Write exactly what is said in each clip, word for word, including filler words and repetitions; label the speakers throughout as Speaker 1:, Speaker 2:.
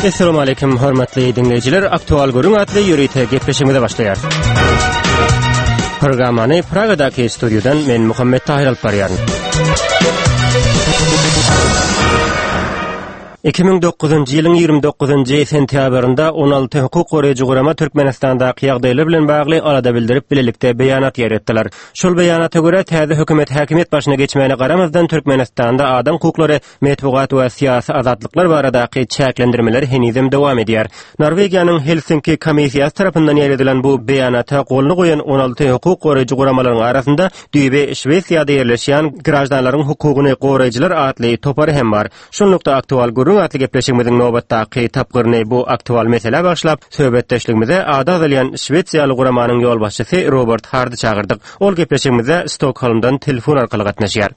Speaker 1: Esselamu aleýkum hormatly dinleýjiler. Aktual Gürrüň atly ýörite gepleşigimize başlaýarys. Programmany Pragadaky studiýadan men Muhammet Tahir alyp barýaryn. Iki müň dokuzynjy ýylyň ýigrimi dokuzynjy sentýabrynda on alty hukuk goraýjy gurama Türkmenistandaky ýagdaýlar bilen bagly alada bildirip bilelikde beýanat ýaýratdylar. Şol beýanata görä täze hökümet häkimiýet başyna geçmäne garamazdan Türkmenistanda adam hukuklary, metbugat we syýasy azatlyklar baradaky çäklendirmeler henizem dowam edýär. Norwegiýanyň Helsinki komissiýasy tarapyndan ýaýradylan bu beýanata goluny goýan on alty hukuk goraýjy guramalaryň arasynda düýbi Şwesiýada ýerleşýän Graždanlaryň hukugyny goraýjylar atly topary hem bar. Şunlukda aktual gürrüň atly gepleşigimiziň nobatdaky tapgyryny bu aktual meselä bagyşlap, söhbetdeşligimize ady agzalýan Şwesiýaly guramanyň ýolbaşçysy Robert Hardy çagyrdyk. Ol gepleşigimize Stokholmdan telefon arkaly gatnaşýar.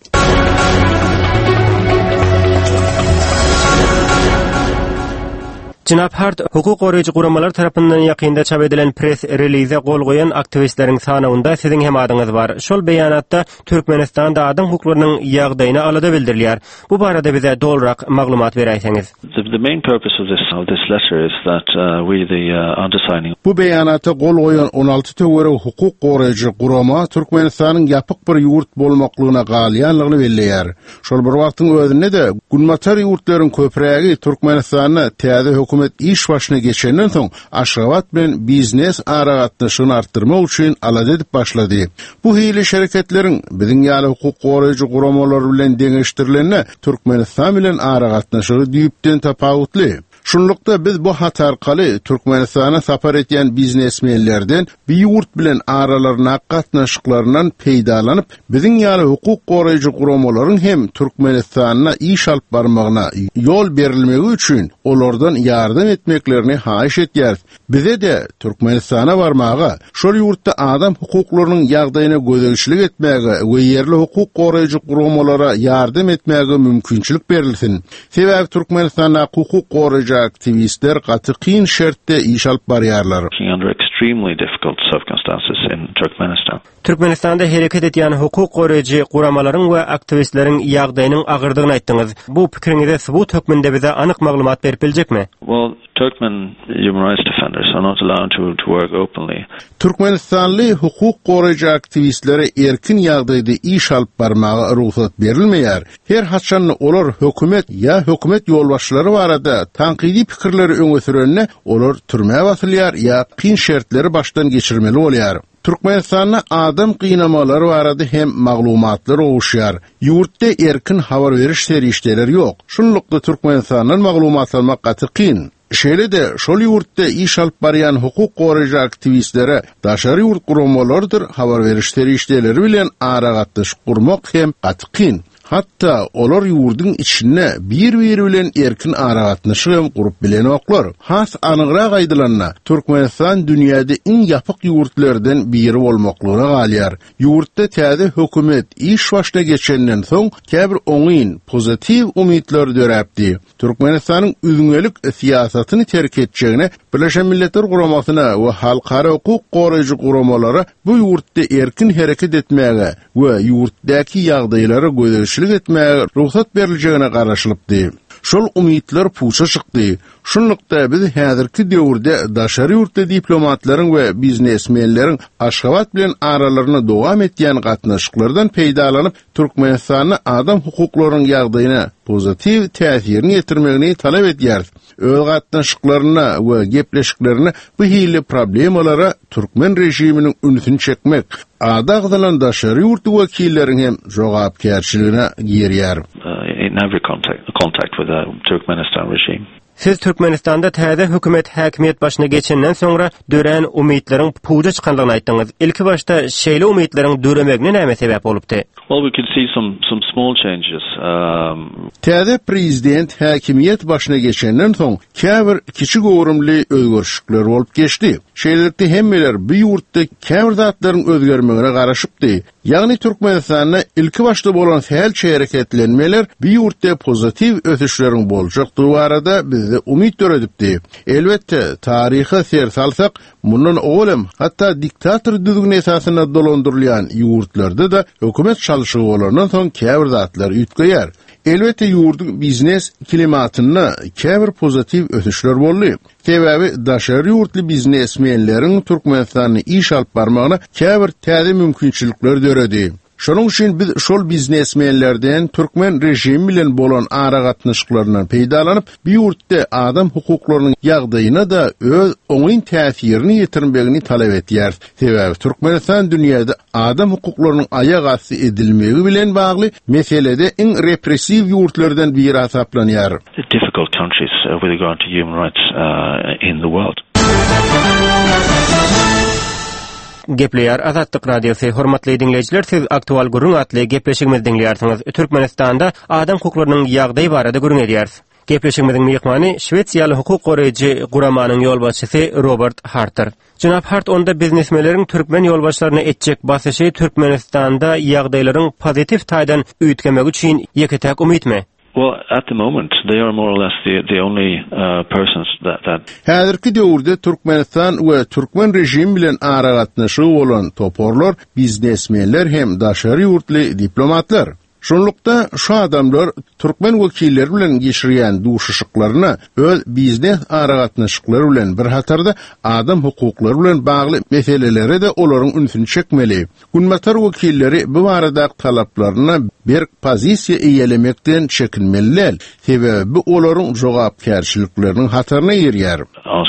Speaker 1: Jenap Hart, hukuk goraýjy guramalar tarapyndan ýakynda çap edilen press release gol goýan aktiwistleriň sanawynda siziň hem adyňyz bar. Şol beýanatda Türkmenistanda adam hukuklarynyň ýagdaýyna alada bildirilýär. Bu barada bize dolrak maglumat beräýseňiz.
Speaker 2: The, the main purpose of this, of this letter is that, uh, we the, uh, undersigning
Speaker 3: Bu beýanata gol goýan on alty töweregi hukuk goraýjy gurama Türkmenistanyň ýapyk bir ýurt bolmaklygyna galýanlygyny belleýär. Şol bir wagtyň özünde-de Günbatar ýurtlaryň köprägi Türkmenistanda täze hökümet iş başyna geçenden soň Aşgabat bilen biznes aragatnaşygyny artdyrmak üçin alada edip başlady. Bu hili şereketleriň biziň ýaly hukuk goraýjy guramalar bilen deňeşdirilende Türkmenistan bilen aragatnaşygy düýpden tapawutly. Şunlukda biz bu hat arkaly Türkmenistana sapar etýän biznesmenlerden bir ýurt bilen aralaryna gatnaşyklaryndan peýdalanyp, biziň ýaly hukuk goraýjy guramalaryň hem Türkmenistanda iş alyp barmagyna ýol berilmegi üçin olardan ýardam etmeklerini haýyş etýäris. Bize de Türkmenistana barmaga, şol ýurtda adam hukuklarynyň ýagdaýyna gözegçilik etmäge we ýerli hukuk goraýjy guramalara ýardam etmäge mümkinçilik berilsin. Sebäbi Türkmenistanda hukuk goraýjy aktiwistler gaty kyn şertde iş alyp barýarlar.
Speaker 2: Under extremely difficult circumstances in Turkmenistan.
Speaker 1: Türkmenistanda hereket edýän hukuk goraýjy guramalaryň we aktiwistleriň ýagdaýynyň agyrdygyny aýtdyňyz. Bu pikiriňize subut hökmünde bize anyk maglumat berip biljekmi?
Speaker 2: Well, Turkmen human rights defenders are not allowed to, to work openly.
Speaker 3: Türkmenistanly hukuk goraýjy aktiwistlere erkin ýagdaýda iş alyp barmaga rugsat berilmeýär. Her haçan olar hökümet ýa hökümet ýolbaşçylary barada tankydy pikirleri öňe sürende olar türmä basylýar ýa kyn şertleri başdan geçirmeli bolýar. Türkmenistanda adam gynamalary barada hem maglumatlar gowuşýar. Ýurtda erkin habar beriş serişdeleri ýok. Şunlukda Türkmenistandan maglumat almak gaty kyn. Şeýle-de şol ýurtda iş alyp barýan hukuk goraýjy aktiwistlere daşary ýurt guramalarydyr habar beriş serişdeleri bilen aragatnaşyk gurmak hem gaty kyn. Hatda olar ýurduň içinde bir-biri bilen erkin aragatnaşyk hem gurup bilenoklar. Has anygrak aýdylanda, Türkmenistan dünýäde iň ýapyk ýurtlardan biri bolmaklygyna galýar. Ýurtda täze hökümet iş başyna geçenden soň käbir oňyn, pozitiw umytlar döräpdi. Türkmenistanyň üzňelik syýasatyny terk etjegine Birleşen Milletler Guramasyna we halkara hukuk goraýjy guramalara bu ýurtda erkin hereket etmäge we ýurtdaky ýagdaýlara gözegçilik etmäge rugsat beriljegine garaşylypdy. Şol umytlar puça çykdy. Şunlukda biz häzirki döwürde daşary ýurtly diplomatlaryň we biznesmenleriň Aşgabat bilen aralarynda dowam etýän gatnaşyklardan peýdalanyp Türkmenistanda adam hukuklarynyň ýagdaýyna pozitiw täsirini ýetirmegini talap edýäris. Öz gatnaşyklarynda we gepleşiklerinde bu hili problemalara türkmen režiminiň ünsüni çekmek, ady agzalan daşary ýurtly wekilleriň hem jogapkärçiligine girýär.
Speaker 2: Uh, in every contact, contact with the Turkmenistan regime.
Speaker 1: Siz Türkmenistanda täze hökümet häkimiýet başyna geçenden soňra dörän umytlaryň puja çykanlygyny aýtdyňyz. Ilki başda şeýle umytlaryň döremegine näme sebäp bolupdy?
Speaker 2: Well, we could see some, some small changes. Um,
Speaker 3: Täze prezident häkimiýet başyna geçenden soň käbir kiçi göwrümli özgerişlikler bolup geçdi. Şeýlelikde hemmeler bu ýurtda käbir zatlaryň özgermegine garaşypdy. Ýagny Türkmenistanda ilki başda bolan sähelçe hereketlenmeler bu ýurtda pozitiw ösüşleriň boljakdygy barada bizde umyt döredipdi. Elbetde, taryha ser salsak, mundan owal hatda diktator düzgüni esasynda dolandyrylýan ýurtlarda da hökümet çalşygy bolandan soň käbir zatlar üýtgeýär. Elbetde ýurduň biznes klimatynda käbir pozitiw ösüşler boldy. Sebäbi daşary ýurtly biznesmenleriň Türkmenistanda iş alyp barmagyna käbir täze mümkinçilikler döredi. Şonuň üçin biz şol biznesmenlerden türkmen rejimi bilen bolan aragatnaşyklaryndan peýdalanyp, bu ýurtda adam hukuklarynyň ýagdaýyna da öz oňyn täsirini ýetirmegini talap etýär. Sebäbi Türkmenistan dünýäde adam hukuklarynyň aýak asty edilmegi bilen bagly meselede iň repressiw ýurtlardan biri hasaplanýar.
Speaker 2: Difficult countries uh, with regard to human rights uh, in the world.
Speaker 1: Gepleýär Azatlyk Radiosy. Hormatly diňleýjiler, siz Aktual gürrüň atly gepleşigimizi diňleýärsiňiz. Türkmenistanda adam hukuklarynyň ýagdaýy barada gürrüň edýäris. Gepleşigimiziň myhmany Şwesiýaly hukuk goraýjy guramanyň ýolbaşçysy Robert Hartdyr. Jenap Hart onda biznesmenleriň türkmen ýolbaşçylaryna etjek basyşy Türkmenistanda ýagdaýlaryň pozitiw taýdan üýtgemegi üçin ýeke-täk umytmy?
Speaker 2: Well, at the moment, they are more or less the, the only uh, persons that, that
Speaker 3: Häzirki döwürde Türkmenistan we türkmen rejimi bilen aragatnaşygy bolan toparlar, biznesmenler hem daşary ýurtly diplomatlar. Şonlukda şu adamlar türkmen wekilleri bilen geçirýän duşuşyklaryna öz biznes aragatnaşyklary bilen bir hatarda adam hukuklary bilen bagly meselelere de olaryň ünsüni çekmeli. Günbatar wekilleri bu barada talaplaryna berk pozisiýa eýelemekden çekinmeli däl. Sebäbi bu olaryň jogapkärçilikleriniň hataryna girýär.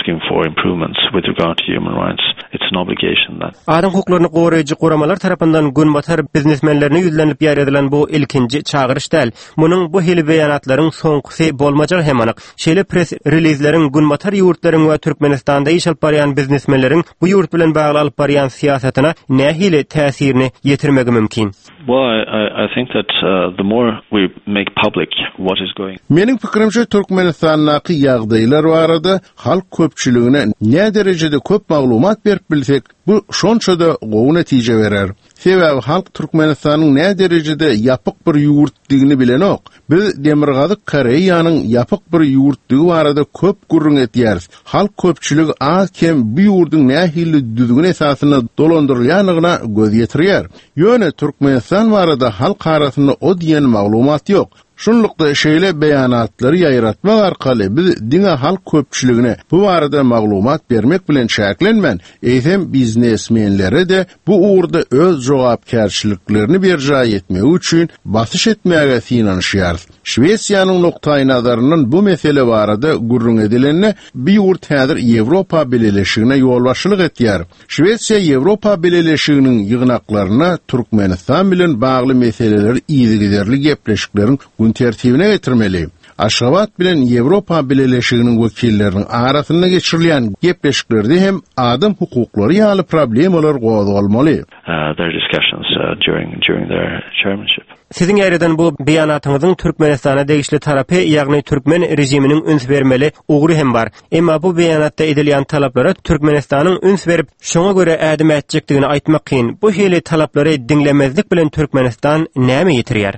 Speaker 2: asking for improvements with regard to human rights. It's an obligation that
Speaker 1: Adam hukuklaryny goraýjy guramalar tarapyndan günbatar biznesmenlerine ýüzlenilip ýaýradylan bu ilkinji çagyryş däl. Munuň bu hili beýanatlaryň soňkusy bolmajagy hem anyk. Şeýle press relizleriň günbatar ýurtlaryň we Türkmenistanda iş alyp barýan biznesmenleriň bu ýurt bilen bagly alyp barýan syýasatyna nähili täsirini ýetirmegi mümkin?
Speaker 2: Well, I, I, I think that uh, the more we make public what is going
Speaker 3: Meniň pikirimçe Türkmenistandaky ýagdaýlar barada halk köpçüligine ne derejede köp maglumat berip bilsek, bu şonça-da gowy netije berer. Sebäbi halk Türkmenistanyň ne derejede ýapyk bir ýurtdygyny bilenok. Biz Demirgazyk Koreýanyň ýapyk bir ýurtdygy barada köp gürrüň etýäris. Halk köpçüligi az kem bu ýurduň nähili düzgün esasynda dolandyrylýandygyna göz ýetirýär. Ýöne Türkmenistan barada halk arasynda o diýen maglumat ýok. Şunlukda şeýle beýanatlary ýaýratmak arkaly biz diňe halk köpçüligine bu barada maglumat bermek bilen çäklenmän, eýsem biznesmenlere de bu ugurda öz jogapkärçiliklerini berjaý etmegi üçin basyş etmäge synanyşýarys. Şwesiýanyň nukdaý nazaryndan bu mesele barada gürrüň edilende, bu ýurt häzir Ýewropa Bileleşigine ýolbaşçylyk etýär. Şwesiýa Ýewropa Bileleşiginiň ýygnaklaryna Türkmenistan bilen bagly meseleleri yzygiderli gepleşikleriň gün tertibine getirmeli. Aşgabat bilen Ýewropa Bileleşiginiň wekilleriniň arasynda geçirilýän gepleşiklerde hem adam hukuklary ýaly problemalar gozgalmaly.
Speaker 2: uh, their discussions uh, during during their chairmanship.
Speaker 1: Siziň ýaýradan bu beýanatyňyzyň Türkmenistana degişli tarapy, ýagny türkmen rejiminiň üns bermeli ugry hem bar. Emma bu beýanatda edilýän talaplara Türkmenistanyň üns berip, şoňa görä ädim ätjekdigini aýtmak kyn. Bu hili talaplary diňlemezlik bilen Türkmenistan näme ýetirýär?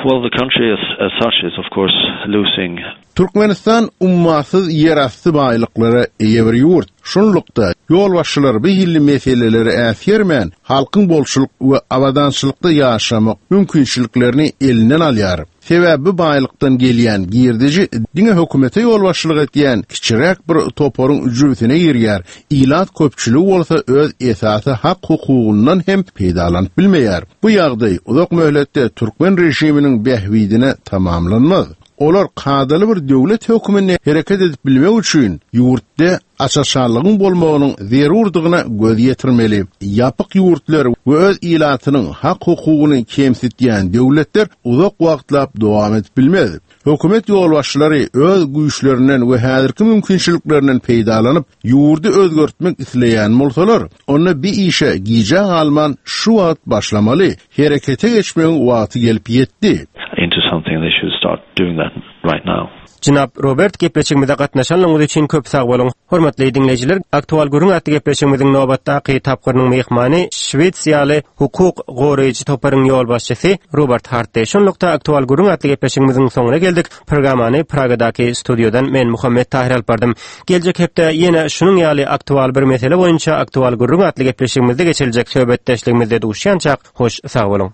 Speaker 2: Well, the country as, as such is of course losing
Speaker 3: Türkmenistan ummasyz ýerasty baýlyklara eýe bir ýurt. Şunlukda ýolbaşçylar bu hili meseleleri äsgermän, halkyň bolçulyk we abadançylykda ýaşamak mümkinçiliklerini elinden alýar. Sebäbi bu baýlykdan gelýän girdeji diňe hökümete ýolbaşçylyk etýän kiçiräk bir toparyň jübüsine girýär. Ilat köpçüligi bolsa öz esasy hak hukugyndan hem peýdalanyp bilmeýär. Bu ýagdaý uzak möhletde türkmen rejiminiň bähbidine tamamlanmaz. Olar kadaly bir döwlet höküminde hereket edip bilmek üçin ýurtda açaçanlygyň bolmagynyň zerurdygyna göz ýetirmeli. Ýapyk ýurtlar we öz ilatynyň hak hukugyny kemsitýän döwletler uzak wagtlap dowam edip bilmez. Hökümet ýolbaşçylary öz güýçlerinden we häzirki mümkinçiliklerinden peýdalanyp, ýurdy özgertmek isleýän bolsalar, onda bir işe gijä galman şu wagt başlamaly, herekete geçmegiň wagty gelip ýetdi.
Speaker 2: into something. They should start doing that right now.
Speaker 1: Jenap Robert gepleşigimize gatnaşanlygyňyz üçin köp sag boluň. Hormatly diňleýjiler, Aktual gürrüň atly gepleşigimiziň nobatdaky tapgyrynyň myhmany Şwesiýaly hukuk goraýjy toparyň ýolbaşçysy Robert Hartdy. Şunlukda Aktual gürrüň atly gepleşigimiziň soňuna geldik. Programmany Pragadaky studiodan men Muhammet Tahir alyp bardym. Geljek hepde ýene şunuň ýaly aktual bir mesele boýunça Aktual gürrüň atly gepleşigimizde geçiriljek söhbetdeşligimizde duşýançak hoş sag boluň.